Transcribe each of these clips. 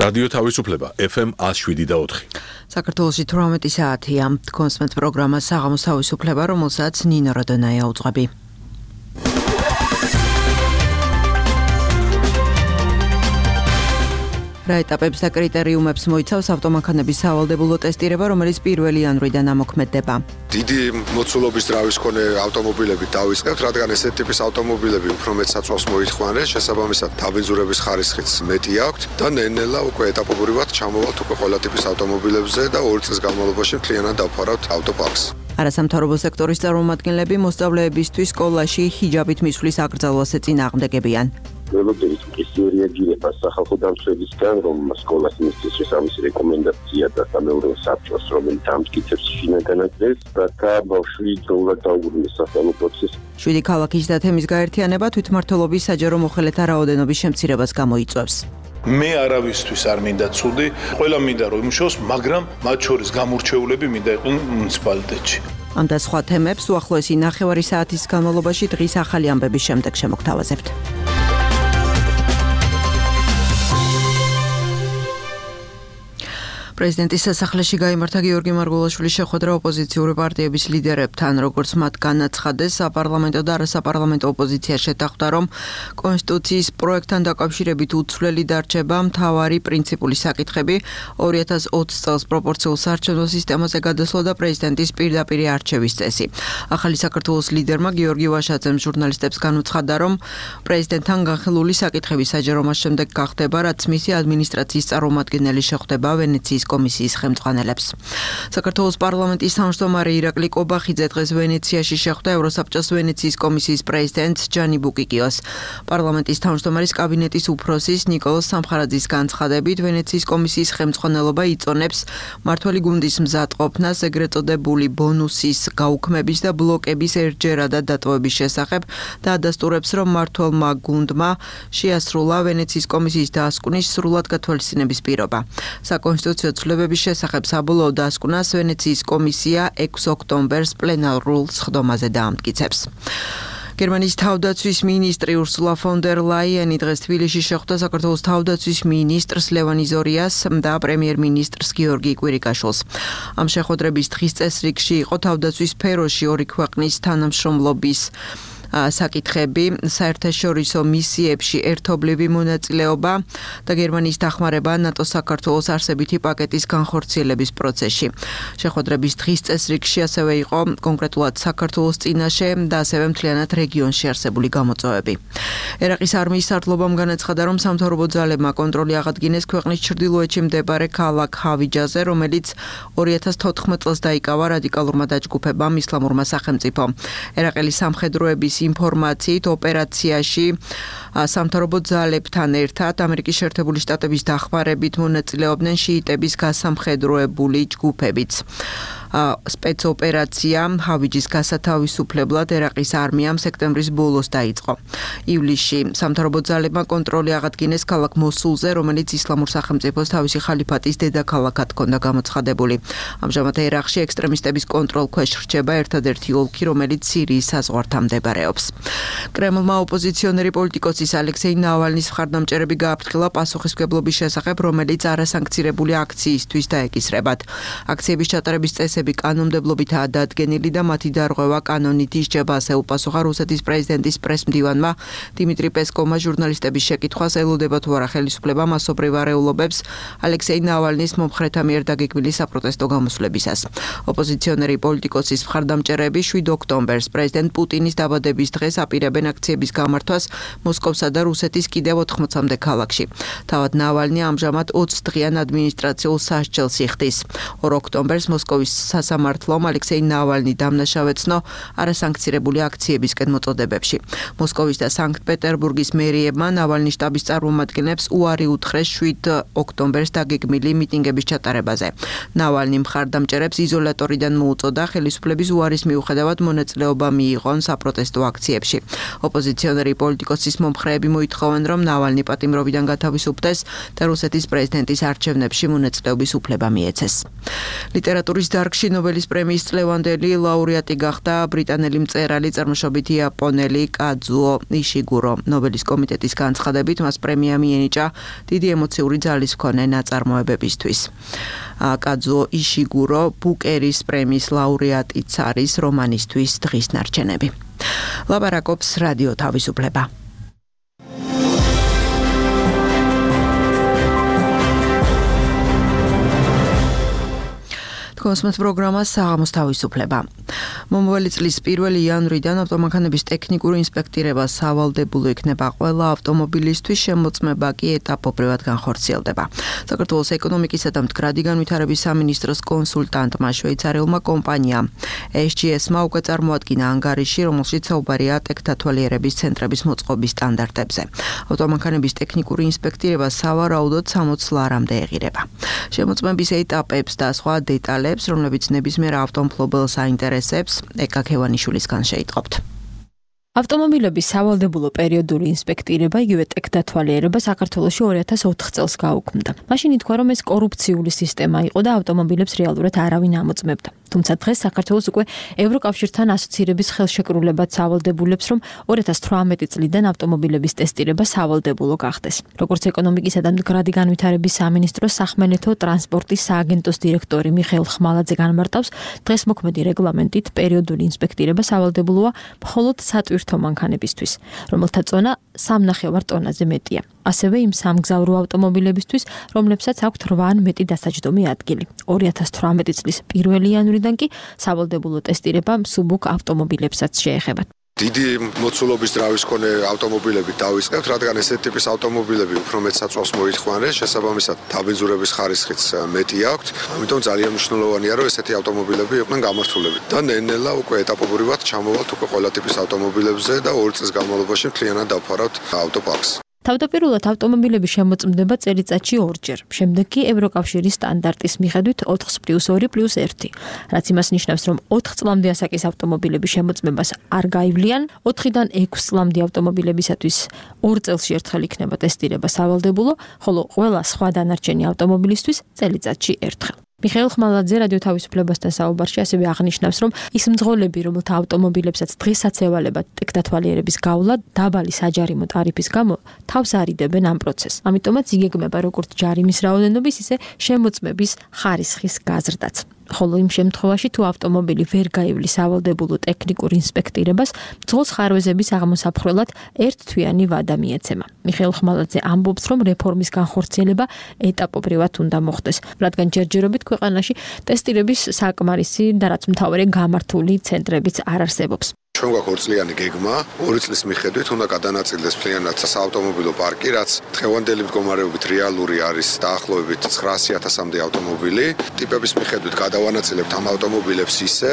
რადიო თავისუფლება FM 107.4. საქართველოში 18 საათია. კონსმეთ პროგრამა საღამოს თავისუფლება, რომელსაც ნინო როდონაია უძღვები. რა ეტაპებს და კრიტერიუმებს მოიცავს ავტომანქანების სავალდებულო ტესტირება, რომელიც 1 იანვრიდან ამოქმედდება. დიდი მოცულობის ძრავის მქონე ავტომობილებით დავიწყებთ, რადგან ესეთი ტიპის ავტომობილები უფრო მეტ საწვავს მოითხოვენ, შესაბამისად დაბინძურების ხარისხიც მეტი აქვთ და ნელ-ნელა უკვე ეტაპობრივად ჩამოვალთ უკვე ყველა ტიპის ავტომობილებზე და 2 წლის განმავლობაში მთლიანად დავფარავთ ავტოპარკს. არასამთავრობო სექტორის წარმომადგენლები მოსწავლეებისთვის სკოლაში ჰიჯაბით მისვლის აკრძალვაზე წინააღმდეგებიან. ველოდებით მყისიერი რეაგირება სახალხო დამცველისგან, რომ სკოლას მისცეს შესაბამისი რეკომენდაცია და სამეურნეო საბჭოს, რომელიც ამტკიცებს შინაგანაკრეს, რათა ბავშვი დროულად დაუბრუნდეს სასწავლო პროცესში. 7 ქალაქის და თემის გაერთიანება თვითმმართველობის საჯარო მოხელეთა რაოდენობის შემცირებას გამოიწვევს. მე არავისთვის არ მინდა ცუდი, ყველა მინდა რომ იმუშაოს, მაგრამ მათ შორის გამორჩეულები მინდა იყვნენ მუნიციპალიტეტში. ამ და სხვა თემებს უახლოესი 9 საათის განმავლობაში დღის ახალი ამბების შემდეგ შემოგთავაზებთ. პრეზიდენტის სასახლეში გაიმართა გიორგი მარგულაშვილის შეხვედრა ოპოზიციური პარტიების ლიდერებთან, როგორც მათ განაცხადეს, საპარლამენტო და არასაპარლამენტო ოპოზიცია შეთანხმდა, რომ კონსტიტუციის პროექტთან დაკავშირებით უცვლელი დარჩება მთავარი პრინციპული საკითხები, 2020 წელს პროპორციულ საარჩევნო სისტემაზე გადასვლა და პრეზიდენტის პირდაპირ არჩევის წესი. ახალი საქართველოს ლიდერმა გიორგი ვაშაძემ ჟურნალისტებს განუცხადა, რომ პრეზიდენტთან განხილული საკითხები საჯარომას შემდეგ გახდება, რაც მისი ადმინისტრაციის წარმომადგენელი შეხვდება ვენეციის კომისიის ხელმძღვანელებს. საქართველოს პარლამენტის თავმჯდომარე ირაკლი კობახიძე დღეს ვენეციაში შეხვდა ევროსაბჭოს ვენეციის კომისიის პრეზიდენტს ჯანი ბუკიკიოს. პარლამენტის თავმჯდომარის კაბინეტის უფროსის ნიკოლოზ სამხარაძის განცხადებით, ვენეციის კომისიის ხელმძღვანელობა იწონებს მმართველი გუნდის მზადყოფნას ეგრეთ წოდებული ბონუსის გაუქმების და ბლოკების ერთჯერადად დატოვების შესახებ და ადასტურებს, რომ მმართველმა გუნდმა შეასრულა ვენეციის კომისიის დასკვნის სრულად გათვალისწინების პირობა. საკონსტიტუციო ცვლილებების შესახებ საბოლოო დასკვნას ვენეციის კომისია 6 ოქტომბერს პლენარულ სხდომაზე დაამტკიცებს. გერმანიის თავდაცვის მინისტრი ურსულა ფონ დერ ლაიენი დღეს თბილისში შეხვდა საქართველოს თავდაცვის მინისტრს ლევან იზორიას და პრემიერ-მინისტრს გიორგი კვირიკაშვილს. ამ შეხვედრების დღის წესრიგში იყო თავდაცვის სფეროში ორი ქვეყნის თანამშრომლობის საკითხები, საერთაშორისო მისიებში ერთობლივი მონაწილეობა და გერმანიის დახმარება ნატოს საქართველოს არსებითი პაკეტის განხორციელების პროცესში. შეხვედრების დღის წესრიგში ასევე იყო კონკრეტულად საქართველოს წინაშე და ასევე მთლიანად რეგიონში არსებული გამოწვევები. ერაყის არმიის სარდლობამ განაცხადა, რომ სამთავრობო ძალებმა კონტროლი აღადგინეს ქვეყნის ჩრდილოეთში მდებარე ქალაქ ჰავიჯაზე, რომელიც 2014 წელს დაიკავა რადიკალურმა დაჯგუფებამ ისლამურმა სახელმწიფომ. ერაყელი სამხედროების ინფორმაციით ოპერაციაში სამთავრობო ძალებთან ერთად ამერიკის შეერთებული შტატების დახმარებით მონაწილეობდნენ შიიტების გასამხედროებული ჯგუფებიც. სპეცოპერაცია ჰავიჯის გასათავისუფლებლად ერაყის არმიამ სექტემბრის ბოლოს დაიწყო. ივლისში სამთავრობო ძალებმა კონტროლი აღადგინეს ქალაქ მოსულზე, რომელიც ისლამურ სახელმწიფოს თავისი ხალიფატის დედაქალაქად ჰქონდა გამოცხადებული. ამჟამად ერაყში ექსტრემისტების კონტროლქვეშ რჩება ერთადერთი ოლქი, რომელიც სირიის საზღვართან მდებარეობს. კრემლმა ოპოზიციონერი პოლიტიკოსის ალექსეი ნავალნის მხარდამჭერები გააფრთხილა პასუხისმგებლობის შესახებ, რომელიც არასანქცირებული აქციისთვის დაეკისრებათ. აქციების ჩატარების წესები კანონმდებლობითაა დადგენილი და მათი დარღვევა კანონით ისჯება, ასე უპასუხა რუსეთის პრეზიდენტის პრესმდივანმა დიმიტრი პესკოვმა ჟურნალისტების შეკითხვას, ელოდება თუ არა ხელისუფლება მასობრივ არეულობებს ალექსეი ნავალნის მომხრეთა მიერ დაგეგმილი საპროტესტო გამოსვლებისას. ოპოზიციონერი პოლიტიკოსის მხარდამჭერები 7 ოქტომბერს პრეზიდენტ პუტინის დაბადების დღეს აპირებენ აქციების გამართვას მოსკოვსა და რუსეთის კიდევ 80-მდე ქალაქში. თავად ნავალნი ამჟამად 20 დღიან ადმინისტრაციულ სასჯელს იხდის. 2 ოქტომბერს მოსკოვის სასამართლომ ალექსეი ნავალნი დამნაშავეცნო არასანქცირებული აქციებისკენ მოწოდებებში. მოსკოვის და სანქტ-პეტერბურგის მერიებმა ნავალნის შტაბის წარმომადგენლებს უარი უთხრეს 7 ოქტომბერს დაგეგმილი მიტინგების ჩატარებაზე. ნავალნი მხარდამჭერებს იზოლატორიდან მოუწოდა ხელისუფლების უარის მიუხედავად მონაწილეობა მიიღონ საპროტესტო აქციებში. ოპოზიციონერი პოლიტიკოსის მომხრეები მოითხოვენ, რომ ნავალნი პატიმრობიდან გათავისუფლდეს და რუსეთის პრეზიდენტის არჩევნებში მონაწილეობის უფლება მიეცეს. ლიტერატურის დარგში ნიუ-იორკში ნობელის პრემიის წლევანდელი ლაურეატი გახდა ბრიტანელი მწერალი წარმოშობით იაპონელი კაძუო იშიგურო. ნობელის კომიტეტის განცხადებით მას პრემია მიენიჭა დიდი ემოციური ძალის მქონე ნაწარმოებებისთვის. კაძუო იშიგურო ბუკერის პრემიის ლაურეატიც არის რომანისთვის დღის ნარჩენები. ლაბარაკობს რადიო თავისუფლება. Kosmos პროგრამა საღამოს თავისუფლება. მომავალი წლის 1 იანვრიდან ავტომანქანების ტექნიკური ინსპექტირება სავალდებულო იქნება ყველა ავტომობილისთვის, შემოწმება კი ეტაპობრივად განხორციელდება. საქართველოს ეკონომიკისა და მდგრადი განვითარების სამინისტროს კონსულტანტმა შვეიცარიელმა კომპანიამ SGS-მა უკვე წარმოადგინა ანგარიში, რომელშიც საუბარია ტექთათვალიერების ცენტრების მოწყობის სტანდარტებზე. ავტომანქანების ტექნიკური ინსპექტირება სავარაუდოდ 60 ლარამდე ეღირება. შემოწმების ეტაპებს და სხვა დეტალებს, რომლებიც ნებისმიერ ავტომფლობელს აინტერესებს, ეკა ქევანიშვილისგან შეიტყობთ. ავტომობილების სავალდებულო პერიოდული ინსპექტირება იგივე ტექთათვალიერება საქართველოში 2004 წელს გაუქმდა. მაშინ ითქვა, რომ ეს კორუფციული სისტემა იყო და ავტომობილებს რეალურად არავინ ამოწმებდა. თუმცა დღეს საქართველოს უკვე ევროკავშირთან ასოცირების ხელშეკრულებად სავალდებულებს, რომ 2018 წლიდან ავტომობილების ტესტირება სავალდებულო გახდეს. როგორც ეკონომიკისა და მდგრადი განვითარების სამინისტროს სახმელეთო ტრანსპორტის სააგენტოს დირექტორი მიხეილ ხმალაძე განმარტავს, დღეს მოქმედი რეგლამენტით პერიოდული ინსპექტირება სავალდებულოა მხოლოდ სატვირთო მანქანებისთვის, რომელთა წონა 3.5 ტონაზე მეტია. ასევე იმ სამგზავრო ავტომობილებისთვის, რომლებსაც აქვთ 8 ან მეტი დასაჯდომი ადგილი. 2018 წლის 1 იანვრიდან კი სავალდებულო ტესტირება მსუბუქ ავტომობილებსაც შეეხება. დიდი მოცულობის ძრავის მქონე ავტომობილები დავიწყებთ, რადგან ესეთი ტიპის ავტომობილები უფრო მეტ საწვავს მოითხოვან, შესაბამისად დაბინძურების ხარისხიც მეტი აქვთ. ამიტომ ძალიან მნიშვნელოვანია, რომ ესეთი ავტომობილები იყვნენ გამართულები. და ნელ-ნელა უკვე ეტაპობრივად ჩამოვალთ უკვე ყველა ტიპის ავტომობილებზე და 2 წლის განმავლობაში მთლიანად დავფარავთ ავტოპარკს. თავდაპირველად ავტომობილები შემოწმდება წელიწადში 2-ჯერ, შემდეგ კი ევროკავშირის სტანდარტის მიხედვით 4+2+1, რაც იმას ნიშნავს, რომ 4 წლამდე ასაკის ავტომობილების შემოწმებას არ გაივლიან, 4-დან 6 წლამდე ავტომობილებისათვის 2 წელში ერთხელ იქნება ტესტირება სავალდებულო, ხოლო ყველა სხვა დანარჩენი ავტომობილისთვის წელიწადში ერთხელ. მიხეილ ხმალაძე რადიო თავისუფლებასთან საუბარში ასევე აღნიშნავს, რომ ის მძღოლები, რომელთა ავტომობილებსაც დღესაც ევალებათ ტექთათვალიერების გავლა დაბალი საჯარიმო ტარიფის გამო, თავს არიდებენ ამ პროცესს. ამიტომაც იგეგმება როგორც ჯარიმის რაოდენობის, ისე შემოწმების ხარისხის გაზრდაც. ხოლო იმ შემთხვევაში, თუ ავტომობილი ვერ გაივლის სავალდებულო ტექნიკურ ინსპექტირებას, მძღოლს ხარვეზების აღმოსაფხრელად ერთთვიანი ვადა მიეცემა. მიხეილ ხმალაძე ამბობს, რომ რეფორმის განხორციელება ეტაპობრივად უნდა მოხდეს, რადგან ჯერჯერობით ქვეყანაში ტესტირების საკმარისი და რაც მთავარი გამართული ცენტრებიც არ არსებობს. ჩვენ გვაქვს 2 წლიანი გეგმა, 2 წლის მიხედვით უნდა გადანაწილდეს მთლიანად საავტომობილო პარკი, რაც დღევანდელი მდგომარეობით რეალური არის დაახლოებით 900,000-მდე ავტომობილი. ტიპების მიხედვით გადავანაწილებთ ამ ავტომობილებს ისე,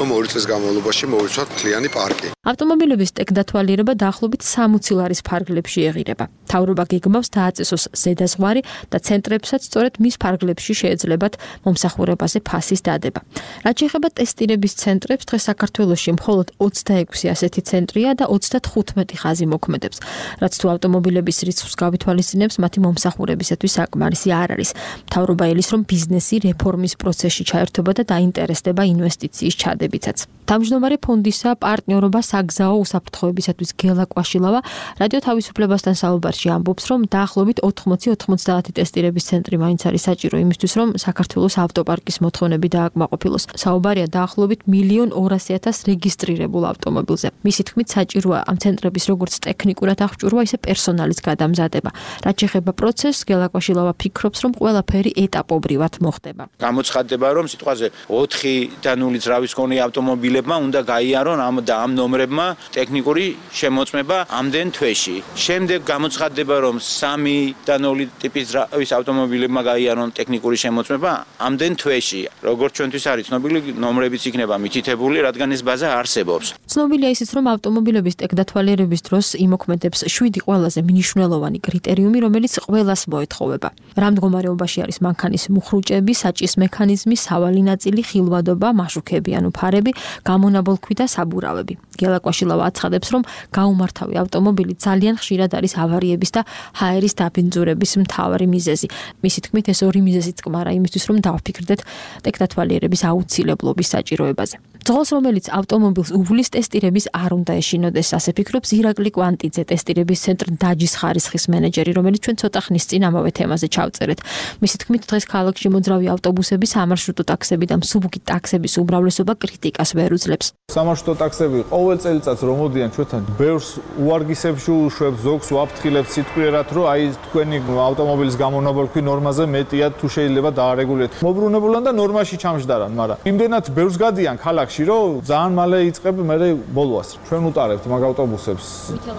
რომ 2 წლის განმავლობაში მოვიცვათ მთლიანი პარკი. ავტომობილების ტექთათვალიერება დაახლოებით 60 ლარის ფარგლებში ეღირება. მთავრობა გეგმავს დააწესოს ზედაზღვარი და ცენტრებსაც სწორედ მის ფარგლებში შეეძლებათ მომსახურებაზე ფასის დადება. რაც შეეხება ტესტირების ცენტრებს, დღეს საქართველოში მხოლოდ 26 ასეთი ცენტრია და 35 ხაზი მოქმედებს. რაც თუ ავტომობილების რიცხვს გავითვალისწინებს, მათი მომსახურებისათვის საკმარისი არ არის. მთავრობა ელის, რომ ბიზნესი რეფორმის პროცესში ჩაერთვება და დაინტერესდება ინვესტიციის ჩადებითაც. თავმჯდომარე ფონდისა პარტნიორობა საგზაო უსაფრთხოებისათვის გელა კვაშილავა რადიო თავისუფლებასთან საუბარში ამბობს, რომ დაახლოებით 80-90 ტესტირების ცენტრი მაინც არის საჭირო იმისთვის, რომ საქართველოს ავტოპარკის მოთხოვნები დააკმაყოფილოს. საუბარია დაახლოებით 1,200,000 რეგისტრირებულ ავტომობილზე. მისი თქმით, საჭიროა ამ ცენტრების როგორც ტექნიკურად აღჭურვა, ისე პერსონალის გადამზადება. რაც შეეხება პროცესს, გელა კვაშილავა ფიქრობს, რომ ყველაფერი ეტაპობრივად მოხდება. გამოცხადდება, რომ სიტყვაზე 4-დანული ძრავის მქონე ავტომობილებმა უნდა გაიარონ ამ ნომრებმა ტექნიკური შემოწმება ამდენ თვეში. შემდეგ გამოცხადდება, რომ 3-დანული ტიპის ძრავის ავტომობილებმა გაიარონ ტექნიკური შემოწმება ამდენ თვეში. როგორც ჩვენთვის არის ცნობილი, ნომრებიც იქნება მითითებული, რადგან ეს ბაზა არსებობს. ცნობილია ისიც, რომ ავტომობილების ტექდათვალიერების დროს იმოქმედებს 7 ყველაზე მნიშვნელოვანი კრიტერიუმი, რომელიც ყველას მოეთხოვება. რა მდგომარეობაში არის მანქანის მუხრუჭები, საჭის მექანიზმი, სავალი ნაწილი, ხილვადობა, მაშუქები ანუ ფარები, გამონაბოლქვი და საბურავები. გელა კვაშილავა აცხადებს, რომ გაუმართავი ავტომობილი ძალიან ხშირად არის ავარიების და ჰაერის დაბინძურების მთავარი მიზეზი. მისი თქმით, ეს ორი მიზეზიც კმარა იმისთვის, რომ დავფიქრდეთ ტექდათვალიერების აუცილებლობის საჭიროებაზე. ძღოლს, რომელიც ავტომობილს უვლის ტესტირების არ უნდა ეშინოდეს, ასე ფიქრობს ირაკლი კვანტიძე, ტესტირების ცენტრ დაჯის ხარისხის მენეჯერი, რომელიც ჩვენ ცოტა ხნის წინ ამავე თემაზე ჩავწერეთ. მისი თქმით, დღეს ქალაქში მოძრავი ავტობუსების, სამარშრუტო ტაქსები და მსუბუქი ტაქსების უმრავლესობა კრიტიკას ვერ უძლებს. სამარშრუტო ტაქსები ყოველ წელიწადს რომ მოდიან ჩვენთან ბევრს უარგისებს უშვებს, ზოგს ვაფრთხილებს სიტყვიერად, რომ აი თქვენი ავტომობილის გამონაბოლქვი ნორმაზე მეტია თუ შეიძლება დაარეგულიროთ. მოbrunებულან და ნორმაში ჩამჯდარან, მაგრამ იმდენად ბევრს გადიან ქალაქში, რომ ძალიან მალე იწყებ მერე ბოლოას. ჩვენ უტარებთ მაგ ავტობუსებს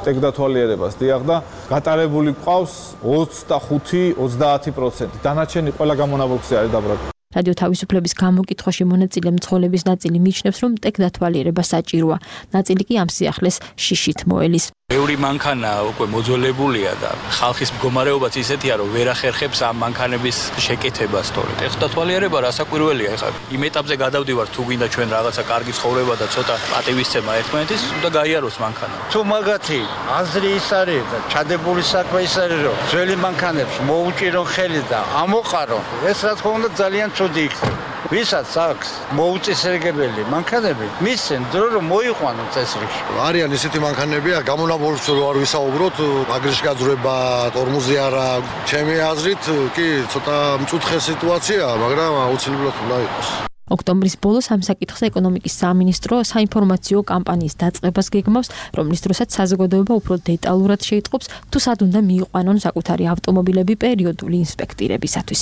ტექდათვალიერებას, დიახ და გატარებული ყავს 25-30%. დანარჩენი ყველა გამონაბოლქვზე არის დაბრუნებული. რადიო თავისუფლების გამოკითხვაში მონაწილე მცხოვრების ნაწილი მიიჩნევს, რომ ტექდათვალიერება საჭიროა. ნაწილი კი ამ სიახლეს შიშით მოელის. ბევრი მანქანა უკვე მოძველებულია და ხალხის მდგომარეობაც ისეთია, რომ ვერ ახერხებს ამ მანქანების შეკეთებას, თორე ტექდათვალიერება რასაკვირველია. ეხლა იმ ეტაპზე გადავდივართ, თუ გინდა ჩვენ რაღაცა კარგი ცხოვრება და ცოტა პატივისცემა ერთმანეთის, უნდა გაიაროს მანქანა. თუ მაგათი აზრი ის არის და ჩადებული საქმე ის არის, რომ ძველი მანქანებში მოუჭირონ ხელი და ამოყარონ, ეს რა თქმა უნდა ძალიან ცუდი იქნება. ვისაც აქვს მოუწესრიგებელი მანქანები, მისცენ დრო რომ მოიყვანონ წესრიგში. არიან ისეთი მანქანებია, გამონაბოლქვს რო არ ვისაუბროთ, აგრეშ გაძრება, ტორმოზი არა. ჩემი აზრით კი ცოტა მწუთხე სიტუაციაა, მაგრამ აუცილებლად უნდა იყოს. ოქტომბრის ბოლოს ამ საკითხზე ეკონომიკის სამინისტრო საინფორმაციო კამპანიის დაწყებას გეგმავს, რომლის დროსაც საზოგადოება უფრო დეტალურად შეიტყობს, თუ სად უნდა მიიყვანონ საკუთარი ავტომობილები პერიოდული ინსპექტირებისათვის.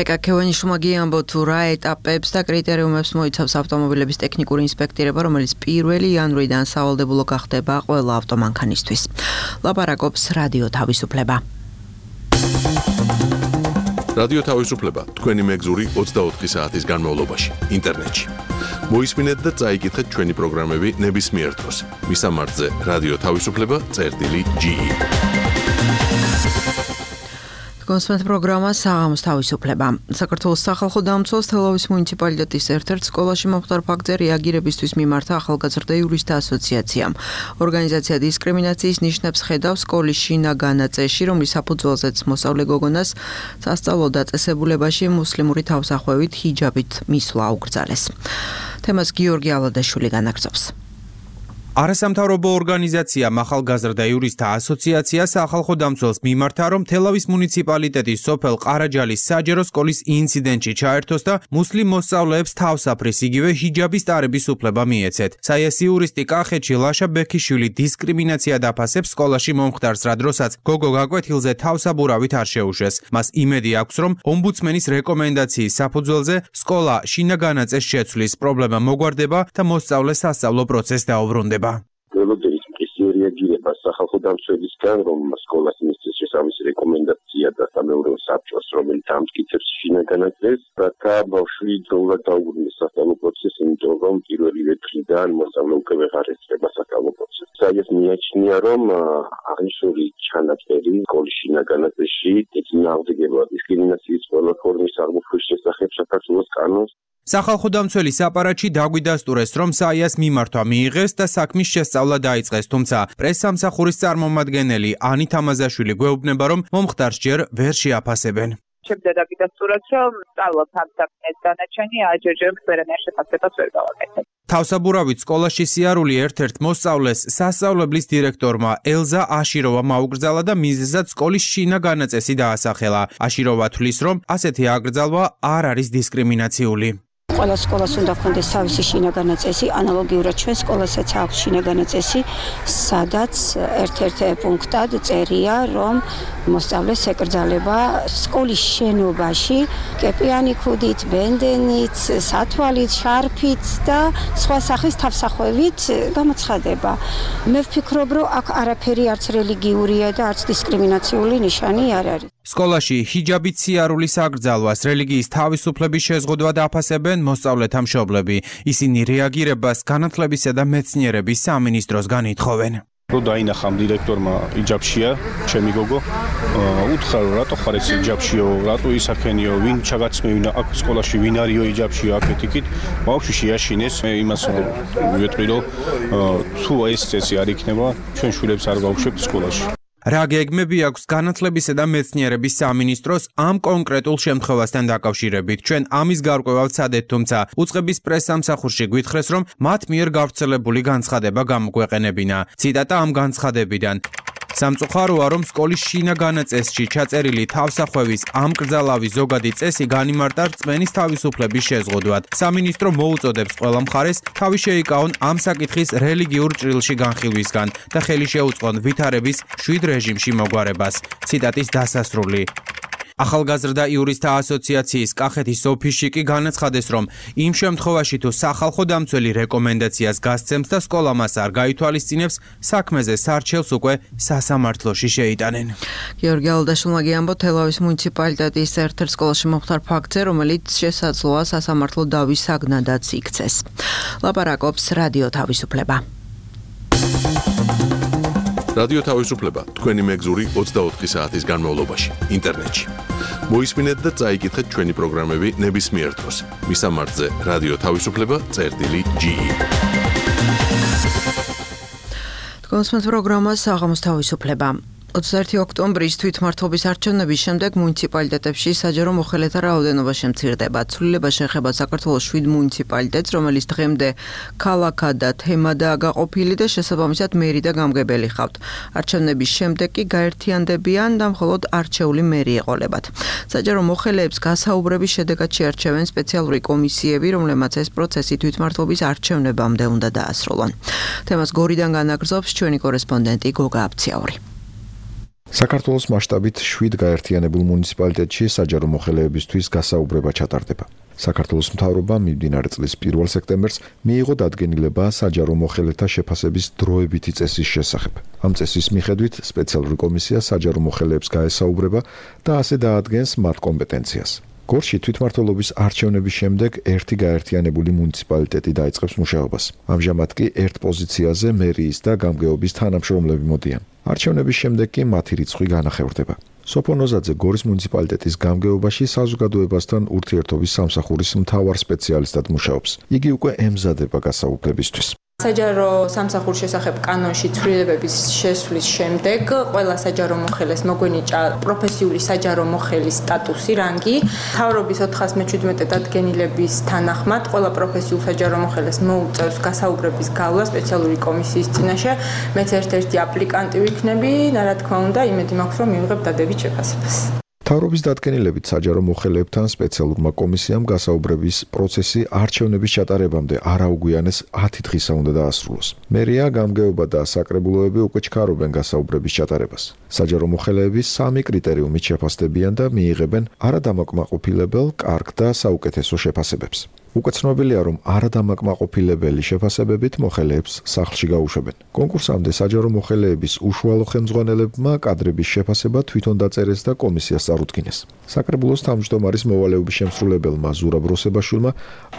ეკაქევანიშვილმა გიამბო, თუ რა ეტაპებს და კრიტერიუმებს მოიცავს ავტომობილების ტექნიკური ინსპექტირება, რომელიც 1 იანვრიდან სავალდებულო გახდება ყველა ავტომანქანისთვის. ლაპარაკობს რადიო თავისუფლება. რადიო თავისუფლება თქვენი მეგზური 24 საათის განმავლობაში ინტერნეტში. მოისმინეთ და წაიკითხეთ ჩვენი პროგრამები ნებისმიერ დროს. მისამართზე რადიო თავისუფლება.ge. კონსმეთ პროგრამა საღამოს თავისუფლება. საქართველოს სახალხო დამცველს თელავის მუნიციპალიტეტის ერთ-ერთ სკოლაში მომხდარ ფაქტზე რეაგირებისთვის მიმართა ახალგაზრდა იურისტთა ასოციაციამ. ორგანიზაცია დისკრიმინაციის ნიშნებს ხედავს სკოლის შინაგან წესში, რომლის საფუძველზეც მოსწავლე გოგონას სასწავლო დაწესებულებაში მუსლიმური თავსახვევით ჰიჯაბით მისვლა აუკრძალეს. თემას გიორგი ალადაშვილი განაგრძობს. არასამთავრობო ორგანიზაცია ახალგაზრდა იურისტთა ასოციაცია სახალხო დამცველს მიმართა, რომ თელავის მუნიციპალიტეტის სოფელ ყარაჯალის საჯარო სკოლის ინციდენტში ჩაერთოს და მუსლიმ მოსწავლეებს თავსაფრის იგივე ჰიჯაბის ტარების უფლება მიეცეთ. საიასი იურისტი კახეთში ლაშა ბექიშვილი დისკრიმინაცია დაფასებს სკოლაში მომხდარს, რა დროსაც გოგო გაკვეთილზე თავსაბურავით არ შეუშვეს. მას იმედი აქვს, რომ ომბუდსმენის რეკომენდაციის საფუძველზე სკოლა შინაგანაწეს შეცვლის პრობლემა მოგვარდება და მოსწავლე სასწავლო პროცესს დაუბრუნდება. ველოდერის მყისი რეაგირება სახალხო დამცველისგან, რომ სკოლას მისცეს შესაბამისი რეკომენდაცია და სამეურნეო საბჭოს, რომელიც ამტკიცებს შინაგანაწესს, რათა ბავშვი დროულად დაუბრუნდეს სასწავლო პროცესს, იმიტომ რომ პირველივე დღიდან მოსწავლე უკვე ვეღარ ესწრება სასწავლო პროცესს. საიას მიაჩნია, რომ აღნიშნული ჩანაწერი სკოლის შინაგანაწესში ეწინააღმდეგება დისკრიმინაციის ყველა ფორმის აღმოფხვის შესახებ საქართველოს კანონს. სახალხო დამცველი საპარატში დაგვიდასტურეს, რომ საიას მიმართვა მიიღეს და საქმის შესწავლა დაიწყეს, თუმცა პრესსამსახურის წარმომადგენელი ანით ამაზაშვილი გვეუბნება, რომ მომხდარს ჯერ ვერ შეაფასებენ. ჩემზე დაგიდასტურეთ, რომ სწავლობ ამ საქმეს დანარჩენი აჯერჯერებს ვერანაირ შეფასებას ვერ გავაკეთებ. თავსაბურავით სკოლაში სიარული ერთ-ერთ მოსწავლეს სასწავლებლის დირექტორმა ელზა აშიროვამ აუკრძალა და მიზეზად სკოლის შინაგანაწესი დაასახელა. აშიროვა თვლის, რომ ასეთი აკრძალვა არ არის დისკრიმინაციული. ყველა სკოლას უნდა ჰქონდეს თავისი შინაგანაწესი, ანალოგიურად ჩვენ სკოლასაც აქვს შინაგანაწესი, სადაც ერთ-ერთ პუნქტად წერია, რომ მოსწავლეს ეკრძალება სკოლის შენობაში კეპიანი ქუდით, ბენდენით, სათვალით, შარფით და სხვა სახის თავსახვევით გამოცხადება. მე ვფიქრობ, რომ აქ არაფერი არც რელიგიურია და არც დისკრიმინაციული ნიშანი არ არის. სკოლაში ჰიჯაბით სიარულის აკრძალვას, რელიგიის თავისუფლების შეზღუდვა დაფასებენ მოსწავლეთა მშობლები. ისინი რეაგირებას განათლებისა და მეცნიერების სამინისტროს განითხოვენ. რო დაინახა ამ დირექტორმა იჯაბშია, ჩემი გოგო, უთხრა რომ რატო ხარ ეს იჯაბშიო, რატო ისაქენიო, ვინ ჩაგაცმევინა აქ სკოლაში, ვინ არისო იჯაბშიო აქეთ-იქით, ბავშვი შეაშინეს, მე იმას ვიტყვი რომ თუ ეს წესი არ იქნება, ჩვენ შვილებს არ გავუშვებთ სკოლაში. რა გეგმები აქვს განათლებისა და მეცნიერების სამინისტროს ამ კონკრეტულ შემთხვევასთან დაკავშირებით? ჩვენ ამის გარკვევა ვცადეთ, თუმცა უწყების პრესსამსახურში გვითხრეს, რომ მათ მიერ გავრცელებული განცხადება გამოგვეყენებინა. ციტატა ამ განცხადებიდან. სამწუხაროა, რომ სკოლის შინაგან წესში ჩაწერილი თავსახვევის ამკრძალავი ზოგადი წესი განიმარტა რწმენის თავისუფლების შეზღუდვად. სამინისტრო მოუწოდებს ყველა მხარეს თავი შეიკავონ ამ საკითხის რელიგიურ ჭრილში განხილვისგან და ხელი შეუწყონ ვითარების შვიდ რეჟიმში მოგვარებას. ციტატის დასასრული. ახალგაზრდა იურისტთა ასოციაციის კახეთის ოფისში კი განაცხადეს, რომ იმ შემთხვევაში თუ სახალხო დამცველი რეკომენდაციას გასცემს და სკოლა მას არ გაითვალისწინებს, საქმეზე სარჩელს უკვე სასამართლოში შეიტანენ. გიორგი ალდაშვილმა გიამბო თელავის მუნიციპალიტეტის ერთ-ერთ სკოლაში მომხდარ ფაქტზე, რომელიც შესაძლოა სასამართლო დავის საგნადაც იქცეს. ლაპარაკობს რადიო თავისუფლება. რადიო თავისუფლება თქვენი მეგზური 24 საათის განმავლობაში ინტერნეტში. მოისმინეთ და წაიკითხეთ ჩვენი პროგრამები ნებისმიერ დროს. მისამართზე რადიო თავისუფლება.ge. თქვენს პროგრამას საღამოს თავისუფლება. 21 ოქტომბრის თვითმმართველობის არჩევნების შემდეგ მუნიციპალიტეტებში საჯარო მოხელეთა რაოდენობა შემცირდება. ცვლილება შეეხება საქართველოს 7 მუნიციპალიტეტს, რომელიც დღემდე ქალაქად და თემადაა გაყოფილი და შესაბამისად მერი და გამგებელი ხავთ. არჩევნების შემდეგ კი გაერთიანდებიან და მხოლოდ არჩეული მერი ეყოლებათ. საჯარო მოხელეებს გასაუბრების შედეგად შეარჩევენ სპეციალური კომისიები, რომლებმაც ეს პროცესი თვითმმართველობის არჩევნებამდე უნდა დაასრულონ. თემას გორიდან განაგრძობს ჩვენი კორესპონდენტი გოგა აფციაური. საქართველოს მასშტაბით 7 გაერთიანებულ მუნიციპალიტეტში საჯარო მოხელეებისთვის გასაუბრება ჩატარდება. საქართველოს მთავრობამ მიმდინარე წლის 1 სექტემბერს მიიღო დადგენილება საჯარო მოხელეთა შეფასების დროებითი წესის შესახებ. ამ წესის მიხედვით სპეციალური კომისია საჯარო მოხელეებს გაესაუბრება და ასე დაადგენს მათ კომპეტენციას. გორში თვითმმართველობის არჩევნების შემდეგ ერთი გაერთიანებული მუნიციპალიტეტი დაიწყებს მუშაობას. ამჟამად კი ერთ პოზიციაზე მერიის და გამგეობის თანამშრომლები მოდიან. არჩევნების შემდეგ კი მათი რიცხვი განახევრდება. სოფო ნოზაძე გორის მუნიციპალიტეტის გამგეობაში საზოგადოებასთან ურთიერთობის სამსახურის მთავარ სპეციალისტად მუშაობს. იგი უკვე ემზადება გასაუბრებისთვის. საჯარო სამსახურის შესახებ კანონში ცვლილებების შესვლის შემდეგ ყველა საჯარო მოხელეს მოგვენიჭა პროფესიული საჯარო მოხელის სტატუსი, რანგი. მთავრობის 417 დადგენილების თანახმად ყველა პროფესიულ საჯარო მოხელეს მოუწევს გასაუბრების გავლა სპეციალური კომისიის წინაშე. მეც ერთ-ერთი აპლიკანტი ვიქნები, რა თქმა უნდა, იმედი მაქვს, რომ მივიღებ დადებით შეფასებას. მთავრობის დადგენილებით საჯარო მოხელეებთან სპეციალურმა კომისიამ გასაუბრების პროცესი არჩევნების ჩატარებამდე არ აუგვიანეს 10 დღისა უნდა დაასრულოს. მერია, გამგეობა და საკრებულოები უკვე ჩქარობენ გასაუბრების ჩატარებას. საჯარო მოხელეები 3 კრიტერიუმით შეფასდებიან და მიიღებენ არადამაკმაყოფილებელ, კარგ და საუკეთესო შეფასებებს. უკვე ცნობილია, რომ არადამაკმაყოფილებელი შეფასებებით მოხელეებს სახლში გაუშვებენ. კონკურსამდე საჯარო მოხელეების უშუალო ხელმძღვანელებმა კადრების შეფასება თვითონ დაწერეს და კომისიას წარუდგინეს. საკრებულოს თავმჯდომარის მოვალეობის შემსრულებელმა ზურაბ როსებაშვილმა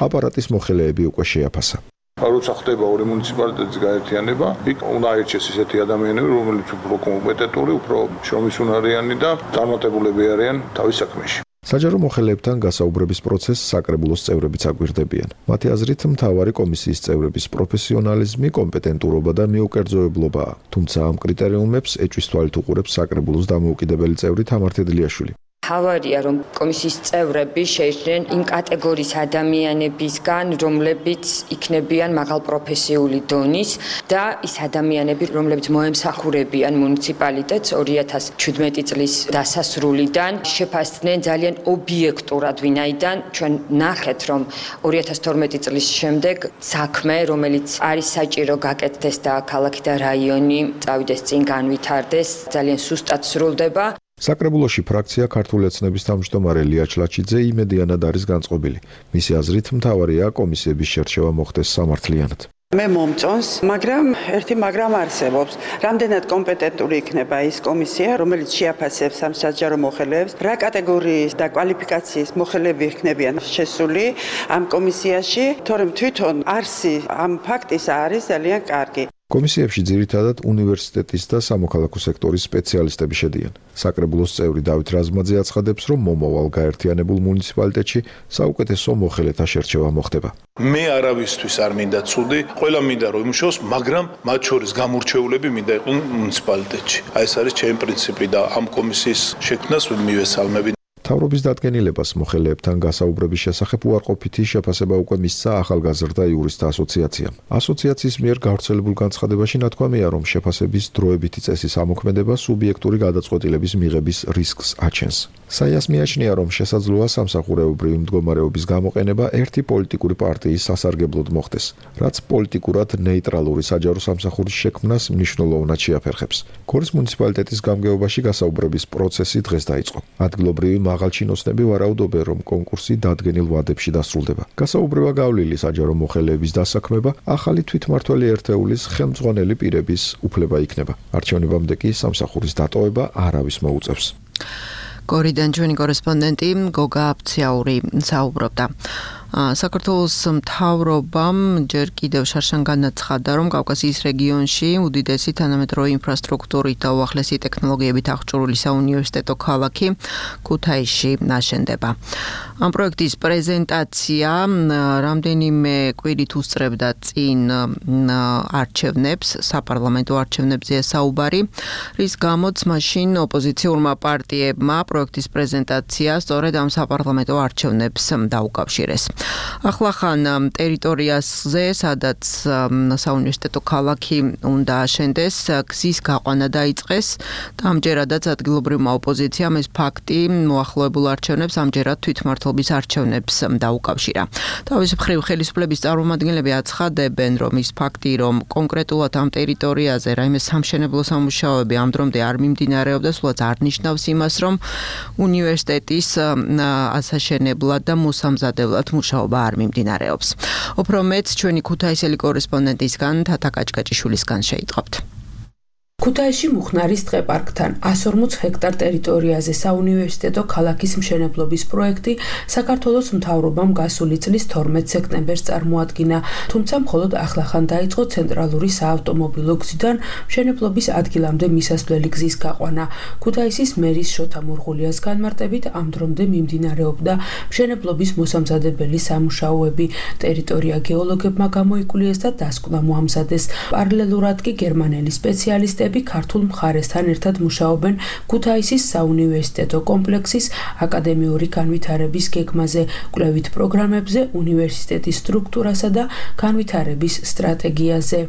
აპარატის მოხელეები უკვე შეაფასა. როცა ხდება ორი მუნიციპალიტეტის გაერთიანება, იქ უნდა აირჩიეს ისეთი ადამიანები, რომელიც უფრო კომპეტენტური, უფრო შრომისუნარიანი და წარმატებულები არიან თავის საქმეში. საჯარო მოხელეებთან გასაუბრების პროცესს საკრებულოს წევრებიც აგვირდებიან. მათი აზრით, მთავარი კომისიის წევრების პროფესიონალიზმი, კომპეტენტურობა და მიუკერძოებლობაა. თუმცა ამ კრიტერიუმებს ეჭვის თვალით უყურებს საკრებულოს დამოუკიდებელი წევრი თამარ თედლიაშვილი. თავარია, რომ კომისიის წევრები შეიჭრნენ იმ კატეგორიის ადამიანებისგან, რომლებიც იქნებიან მაღალ პროფესიული დონის და ის ადამიანები, რომლებიც მოემსახურებიან მუნიციპალიტეტს 2017 წლის დასასრულიდან, შეფასდნენ ძალიან ობიექტურად, ვინაიდან ჩვენ ნახეთ, რომ 2012 წლის შემდეგ საქმე, რომელიც არის საჭირო გაკეთდეს და ქალაქი და რაიონი წავიდეს წინ განვითარდეს, ძალიან სუსტად სრულდება. საკრებულოში ფრაქცია ქართული ეთნების თავმჯდომარე ლია ჩლაჩიძე იმედიანად არის განწყობილი. მისი აზრით მთავარია კომისიების შერჩევა მოხდეს სამართლიანად. მე მომწონს, მაგრამ ერთი მაგრამ არსებობს. რამდენად კომპეტენტური იქნება ის კომისია, რომელიც შეაფასებს ამ საჯარო მოხელეებს, რა კატეგორიის და კვალიფიკაციის მოხელეები იქნებიან შესული ამ კომისიაში, თორემ თვითონ არსი ამ ფაქტისა არის ძალიან კარგი. კომისიებში ძირითადად უნივერსიტეტის და სამოქალაქო სექტორის სპეციალისტები შედიან. საკრებულოს წევრი დავით რაზმაძე აცხადებს, რომ მომავალ გაერთიანებულ მუნიციპალიტეტში საუკეთესო მოხელეთა შერჩევა მოხდება. მე არავისთვის არ მინდა ცუდი, ყველა მინდა რომ იმუშაოს, მაგრამ მათ შორის გამორჩეულები მინდა იყვნენ მუნიციპალიტეტში. აი ეს არის ჩემი პრინციპი და ამ კომისიის შექმნას მივესალმები. მთავრობის დადგენილებას მოხელეებთან გასაუბრების შესახებ უარყოფითი შეფასება უკვე მისცა ახალგაზრდა იურისტთა ასოციაციამ. ასოციაციის მიერ გავრცელებულ განცხადებაში ნათქვამია, რომ შეფასების დროებითი წესის ამოქმედება სუბიექტური გადაწყვეტილების მიღების რისკს აჩენს. საიას მიაჩნია, რომ შესაძლოა სამსახურეობრივი მდგომარეობის გამოყენება ერთი პოლიტიკური პარტიის სასარგებლოდ მოხდეს, რაც პოლიტიკურად ნეიტრალური საჯარო სამსახურის შექმნას მნიშვნელოვნად შეაფერხებს. გორის მუნიციპალიტეტის გამგეობაში გასაუბრების პროცესი დღეს დაიწყო. ადგილობრივი მაღალჩინოსნები ვარაუდობენ, რომ კონკურსი დადგენილ ვადებში დასრულდება. გასაუბრება გავლილი საჯარო მოხელეების დასაქმება ახალი თვითმმართველი ერთეულის ხელმძღვანელი პირების უფლება იქნება. არჩევნებამდე კი სამსახურის დატოვება არავის მოუწევს. გორიდან ჩვენი კორესპონდენტი გოგა აფციაური საუბრობდა. საქართველოს მთავრობამ ჯერ კიდევ შარშან განაცხადა, რომ კავკასიის რეგიონში უდიდესი თანამედროვე ინფრასტრუქტურით და უახლესი ტექნოლოგიებით აღჭურვილი საუნივერსიტეტო ქალაქი ქუთაისში აშენდება. ამ პროექტის პრეზენტაცია რამდენიმე კვირით უსწრებდა წინ არჩევნებს, საპარლამენტო არჩევნებზეა საუბარი, რის გამოც მაშინ ოპოზიციურმა პარტიებმა პროექტის პრეზენტაცია სწორედ ამ საპარლამენტო არჩევნებს დაუკავშირეს. ახლახან ტერიტორიაზე, სადაც საუნივერსიტეტო ქალაქი უნდა აშენდეს, გზის გაყვანა დაიწყეს და ამჯერადაც ადგილობრივმა ოპოზიციამ ეს ფაქტი მოახლოებულ არჩევნებს ამჯერად თვითმმართველობის არჩევნებს დაუკავშირა. თავის მხრივ ხელისუფლების წარმომადგენლები აცხადებენ, რომ ის ფაქტი, რომ კონკრეტულად ამ ტერიტორიაზე რაიმე სამშენებლო სამუშაოები ამ დრომდე არ მიმდინარეობდა, სულაც არ ნიშნავს იმას, რომ უნივერსიტეტის ასაშენებლად და მოსამზადებლად მუშაობა არ მიმდინარეობს. უფრო მეც ჩვენი ქუთაისელი კორესპონდენტისგან თათა კაჭკაჭიშვილისგან შეიტყობთ. ქუთაისში მუხნარის ტყეპარკთან 140 ჰექტარ ტერიტორიაზე საუნივერსიტეტო ქალაქის მშენებლობის პროექტი საქართველოს მთავრობამ გასული წლის 12 სექტემბერს წარმოადგინა, თუმცა მხოლოდ ახლახან დაიწყო ცენტრალური საავტომობილო გზიდან მშენებლობის ადგილამდე მისასვლელი გზის გაყვანა. ქუთაისის მერის შოთა მურღულიას განმარტებით ამ დრომდე მიმდინარეობდა მშენებლობის მოსამზადებელი სამუშაოები. ტერიტორია გეოლოგებმა გამოიკულიეს და დასკვნა მოამზადეს. პარალელურად კი გერმანელი სპეციალისტები ქართულ მხარესთან ერთად მუშაობენ ქუთაისის საუნივერსიტეტო კომპლექსის აკადემიური განვითარების გეგმაზე, კვლევით პროგრამებზე, უნივერსიტეტის სტრუქტურასა და განვითარების სტრატეგიაზე.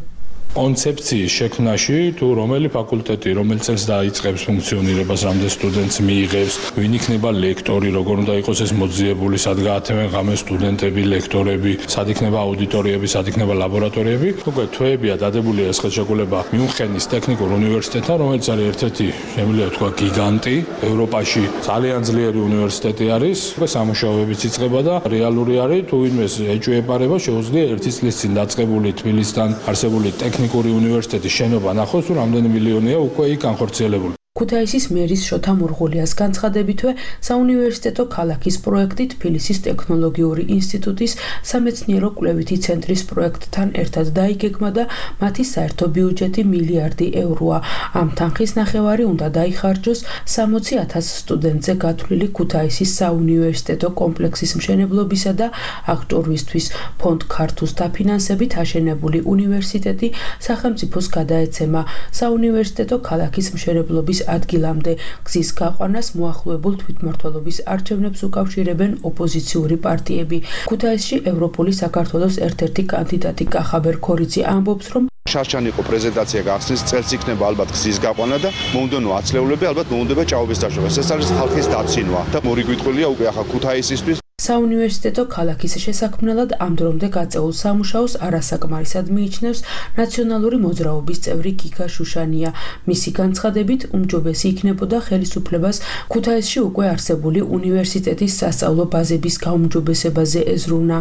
კონცეფციის შექმნაში თუ რომელი ფაკულტეტი რომელ წელს დაიწყებს ფუნქციონირებას, რამდენ სტუდენტს მიიღებს, ვინ იქნება ლექტორი, როგორ უნდა იყოს ეს მოძიებული, სად გაათევენ ღამეს სტუდენტები, ლექტორები, სად იქნება აუდიტორიები, სად იქნება ლაბორატორიები. უკვე თვეებია დადებული ეს ხელშეკრულება მიუნხენის ტექნიკურ უნივერსიტეტთან, რომელიც არის ერთ-ერთი, შემიძლია თქვა, გიგანტი ევროპაში, ძალიან ძლიერი უნივერსიტეტი არის. უკვე სამუშაოებიც იწყება და რეალური არის, თუ ვინმეს ეჭვეპარება, შეუძლია ერთი წლის წინ დაწყებული თბილისთან არსებული ტექნიკური უნივერსიტეტის შენობა ნახოს, თუ რამდენი მილიონია უკვე იქ განხორციელებული. ქუთაისის მერის შოთა მურღულიას განცხადებითვე საუნივერსიტეტო ქალაქის პროექტი თბილისის ტექნოლოგიური ინსტიტუტის სამეცნიერო კვლევითი ცენტრის პროექტთან ერთად დაიგეგმა და მათი საერთო ბიუჯეტი მილიარდი ევროა. ამ თანხის ნახევარი უნდა დაიხარჯოს 60,000 სტუდენტზე გათვლილი ქუთაისის საუნივერსიტეტო კომპლექსის მშენებლობისა და აღჭურვისთვის. ფონდ ქართუს დაფინანსებით აშენებული უნივერსიტეტი სახელმწიფოს გადაეცემა. საუნივერსიტეტო ქალაქის მშენებლობის ადგილამდე გზის გაყვანას მოახლოებულ თვითმმართველობის არჩევნებს უკავშირებენ ოპოზიციური პარტიები. ქუთაისში ევროპული საქართველოს ერთ-ერთი კანდიდატი კახაბერ ქორიძე ამბობს, რომ შარშანი იყო პრეზენტაცია გახსნის წელს იქნება ალბათ გზის გაყვანა და მომდევნო ათწლეულები ალბათ მომდება ჭაობის დაშვება. ეს არის ხალხის დაცინვა და მორიგვიტყვილია უკვე ახლა ქუთაისისთვის. საუნივერსიტეტო ქალაქის შესაქმნელად ამ დრომდე გაწეულ სამუშაოს არასაკმარისად მიიჩნევს ნაციონალური მოძრაობის წევრი გიგა შუშანია. მისი განცხადებით, უმჯობესი იქნებოდა ხელისუფლებას ქუთაისში უკვე არსებული უნივერსიტეტის სასწავლო ბაზების გაუმჯობესებაზე ეზრუნა.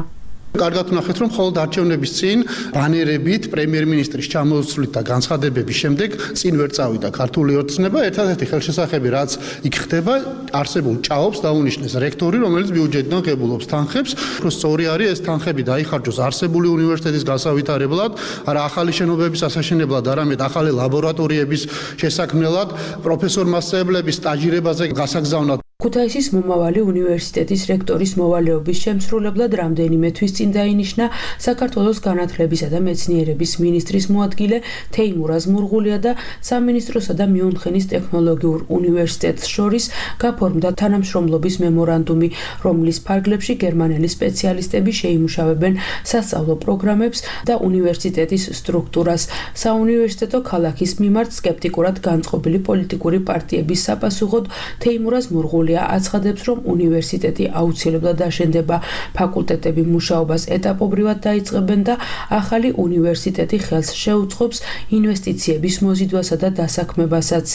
კარგად ვნახეთ, რომ მხოლოდ არჩევნების წინ ბანერებით პრემიერ-მინისტრის ჩამოსვლით და განცხადებების შემდეგ წინ ვერ წავიდა ქართული ოცნება. ერთადერთი ხელშესახები, რაც იქ ხდება, არსებულ ჭაობს დაუნიშნეს რექტორი, რომელიც ბიუჯეტიდან ღებულობს თანხებს. უფრო სწორი არის ეს თანხები დაიხარჯოს არსებული უნივერსიტეტის გასავითარებლად, არა ახალი შენობების ასაშენებლად, არამედ ახალი ლაბორატორიების შესაქმნელად, პროფესორ-მასწავლებლების სტაჟირებაზე გასაგზავნად. ქუთაისის მომავალი უნივერსიტეტის რექტორის მოვალეობის შემსრულებლად რამდენიმე თვის წინ დაინიშნა საქართველოს განათლებისა და მეცნიერების მინისტრის მოადგილე თეიმურაზ მურღულია და სამინისტროსა და მიუნხენის ტექნოლოგიურ უნივერსიტეტს შორის გაფორმდა თანამშრომლობის მემორანდუმი, რომლის ფარგლებში გერმანელი სპეციალისტები შეიმუშავებენ სასწავლო პროგრამებს და უნივერსიტეტის სტრუქტურას. საუნივერსიტეტო ქალაქის მიმართ სკეპტიკურად განწყობილი პოლიტიკური პარტიების საპასუხოდ თეიმურაზ მურღულია აცხადებს, რომ უნივერსიტეტი აუცილებლად აშენდება, ფაკულტეტები მუშაობას ეტაპობრივად დაიწყებენ და ახალი უნივერსიტეტი ხელს შეუწყობს ინვესტიციების მოზიდვასა და დასაქმებასაც.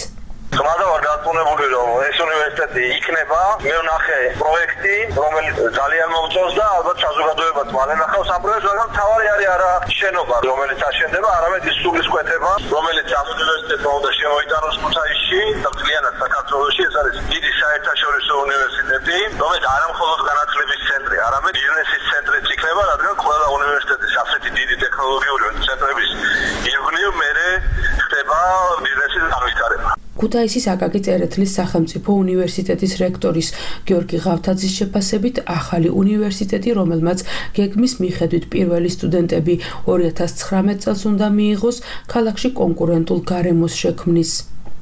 ხმადა ვარ გაწუნებული, რომ ეს უნივერსიტეტი იქნება. მე ვნახე პროექტი, რომელიც ძალიან მომწონს და ალბათ საზოგადოებაც მალე ნახავს ამ პროექტს, მაგრამ თავარი არის არა შენობა, რომელიც აშენდება, არამედ ის სულისკვეთება, რომელიც ამ უნივერსიტეტმა უნდა შემოიტანოს ქუთაისში და მთლიანად საქართველოში. ეს არის დიდი საერთაშორისო უნივერსიტეტი, რომელიც არა მხოლოდ განათლების ცენტრი, არამედ ბიზნესის ცენტრიც იქნება, რადგან ყველა უნივერსიტეტის ასეთი დიდი ტექნოლოგიური ცენტრების ირგვლივ მერე ხდება ბიზნესის განვითარება. ქუთაისის აკაკი წერეთლის სახელმწიფო უნივერსიტეტის რექტორის გიორგი ღავთაძის შეფასებით, ახალი უნივერსიტეტი, რომელმაც გეგმის მიხედვით პირველი სტუდენტები 2019 წელს უნდა მიიღოს, ქალაქში კონკურენტულ გარემოს შექმნის.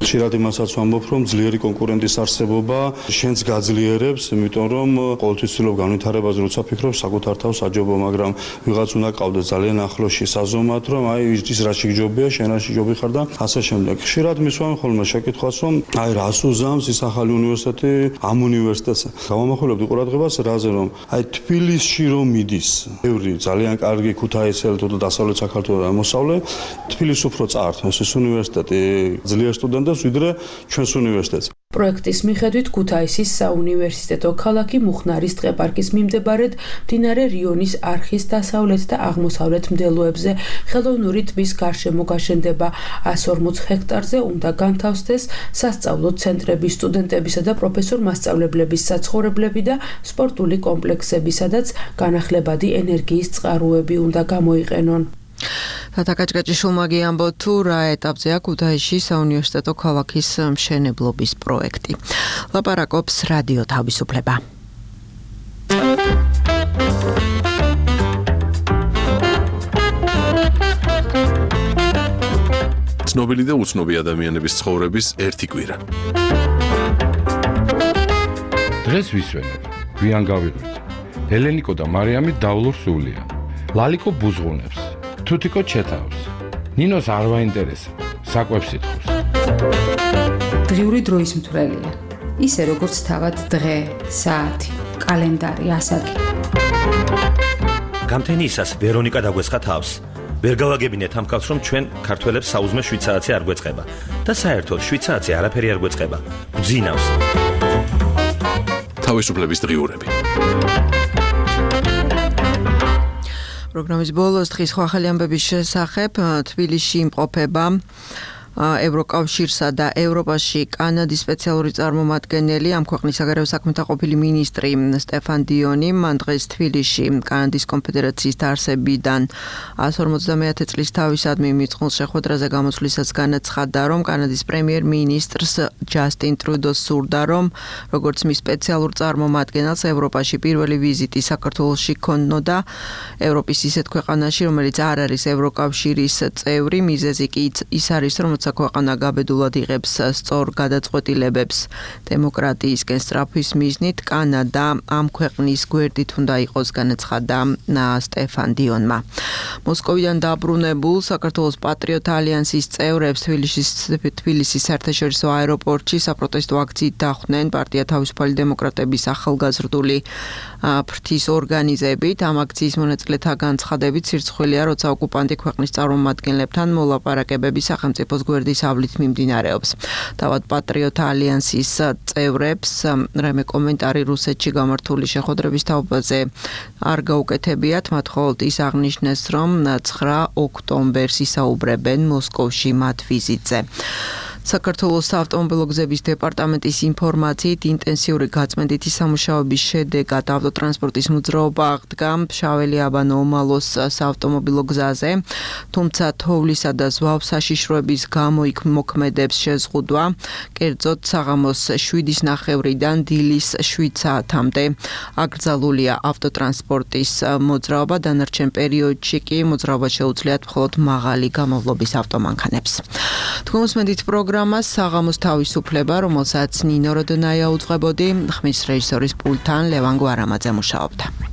ხშირად იმასაც ვამბობ, რომ ძლიერი კონკურენტის არსებობა შენს გაძლიერებს, იმიტომ რომ ყოველთვის ვცდილობ განვითარებას, როცა ფიქრობ საკუთარ თავს აჯობო, მაგრამ ვიღაც უნდა ყავდეს ძალიან ახლოში საზომად, რომ აი ის რა შეგჯობია, შენ რა შეგჯობი ხარ და ასე შემდეგ. ხშირად მისვამენ ხოლმე შეკითხვას, რომ აი რას უზამს ის ახალი უნივერსიტეტი ამ უნივერსიტეტს. გამომახვილებდი ყურადღებას რაზე, რომ აი თბილისში რომ მიდის, ბევრი ძალიან კარგი ქუთაისელი თუ დასავლეთ საქართველოს მოსავლე, თბილისს უფრო წაართმევს ეს უნივერსიტეტი ძლიერ სტუდენტებს ვიდრე ჩვენს უნივერსიტეტს. პროექტის მიხედვით ქუთაისის საუნივერსიტეტო ქალაქი მუხნარის ტყეპარკის მიმდებარედ მდინარე რიონის არხის დასავლეთ და აღმოსავლეთ მდელოებზე ხელოვნური ტბის გარშემო გაშენდება. 140 ჰექტარზე უნდა განთავსდეს სასწავლო ცენტრები, სტუდენტებისა და პროფესორ-მასწავლებლების საცხოვრებლები და სპორტული კომპლექსები, სადაც განახლებადი ენერგიის წყაროები უნდა გამოიყენონ. თათაკაჭკაჭიშვილმა გიამბო თუ რა ეტაპზეა ქუთაისში საუნივერსიტეტო ქალაქის მშენებლობის პროექტი. ლაპარაკობს რადიო თავისუფლება. ცნობილი და უცნობი ადამიანების ცხოვრების ერთი კვირა. დღეს ვისვენებ, გვიან გავიღვიძე. ელენიკო და მარიამი დავლურ სულიან. ლალიკო ბუზღუნებს. თუთიკო ჩეთავს. ნინოს არ ვაინტერესებს, საკვებს ითხოვს. დღიური დროის მთვრელია. ისე როგორც თავად დღე, საათი, კალენდარი, ასაკი. გამთენიისას ვერონიკა დაგვესხა თავს. ვერ გავაგებინეთ ამ კაცს, რომ ჩვენ ქართველებს საუზმე 7 საათი არ გვეწყება და საერთოდ 7 საათი არაფერი არ გვეწყება. გძინავს. თავისუფლების დღიურები. პროგრამის ბოლოს დღის ახალი ამბების შესახებ თბილისში იმყოფება ევროკავშირსა და ევროპაში კანადის სპეციალური წარმომადგენელი, ამ ქვეყნის საგარეო საქმეთა ყოფილი მინისტრი სტეფან დიონი, მან დღეს თბილისში კანადის კონფედერაციის დაარსებიდან 150 წლის თავისადმი მიწყვილ შეხვედრაზე გამოსვლისას განაცხადა, რომ კანადის პრემიერ-მინისტრს ჯასტინ ტრუდოს სურდა, რომ როგორც მის სპეციალურ წარმომადგენელს ევროპაში პირველი ვიზიტი საქართველოში ქონოდა ევროპის ისეთ ქვეყანაში, რომელიც არ არის ევროკავშირის წევრი, მიზეზი კი ის არის, რომ როცა ქვეყანა გაბედულად იღებს სწორ გადაწყვეტილებებს დემოკრატიისკენ სწრაფვის მიზნით, კანადა ამ ქვეყნის გვერდით უნდა იყოს, განაცხადა სტეფან დიონმა. მოსკოვიდან დაბრუნებულ საქართველოს პატრიოტ ალიანსის წევრებს თბილისის საერთაშორისო აეროპორტში საპროტესტო აქციით დახვდნენ პარტია თავისუფალი დემოკრატების ახალგაზრდული ფრთის ორგანიზებით. ამ აქციის მონაწილეთა განცხადებით სირცხვილია, როცა ოკუპანტი ქვეყნის წარმომადგენლებთან მოლაპარაკებები სახელმწიფოს გვერდის ავლით მიმდინარეობს. თავად პატრიოტ ალიანსის წევრებს რამე კომენტარი რუსეთში გამართული შეხვედრების თაობაზე არ გაუკეთებიათ, მათ მხოლოდ ის აღნიშნეს, რომ 9 ოქტომბერს ისაუბრებენ მოსკოვში მათ ვიზიტზე. საქართველოს საავტომობილო გზების დეპარტამენტის ინფორმაციით ინტენსიური გაწმენდითი სამუშაოების შედეგად ავტოტრანსპორტის მოძრაობა აღდგა მშაველი-აბანო-ომალოს საავტომობილო გზაზე, თუმცა თოვლისა და ზვავ საშიშროების გამო იქ მოქმედებს შეზღუდვა, კერძოდ საღამოს 7:09-დან დილის 7 საათამდე აკრძალულია ავტოტრანსპორტის მოძრაობა, დანარჩენ პერიოდში კი მოძრაობა შეუძლიათ მხოლოდ მაღალი გამოვლობის ავტომანქანებს. თქვენ უსმენთ პროგრამას საღამოს თავისუფლება, რომელსაც ნინო როდონაია უძღვებოდი, ხმის რეჟისორის პულტთან ლევან გვარამაძე მუშაობდა.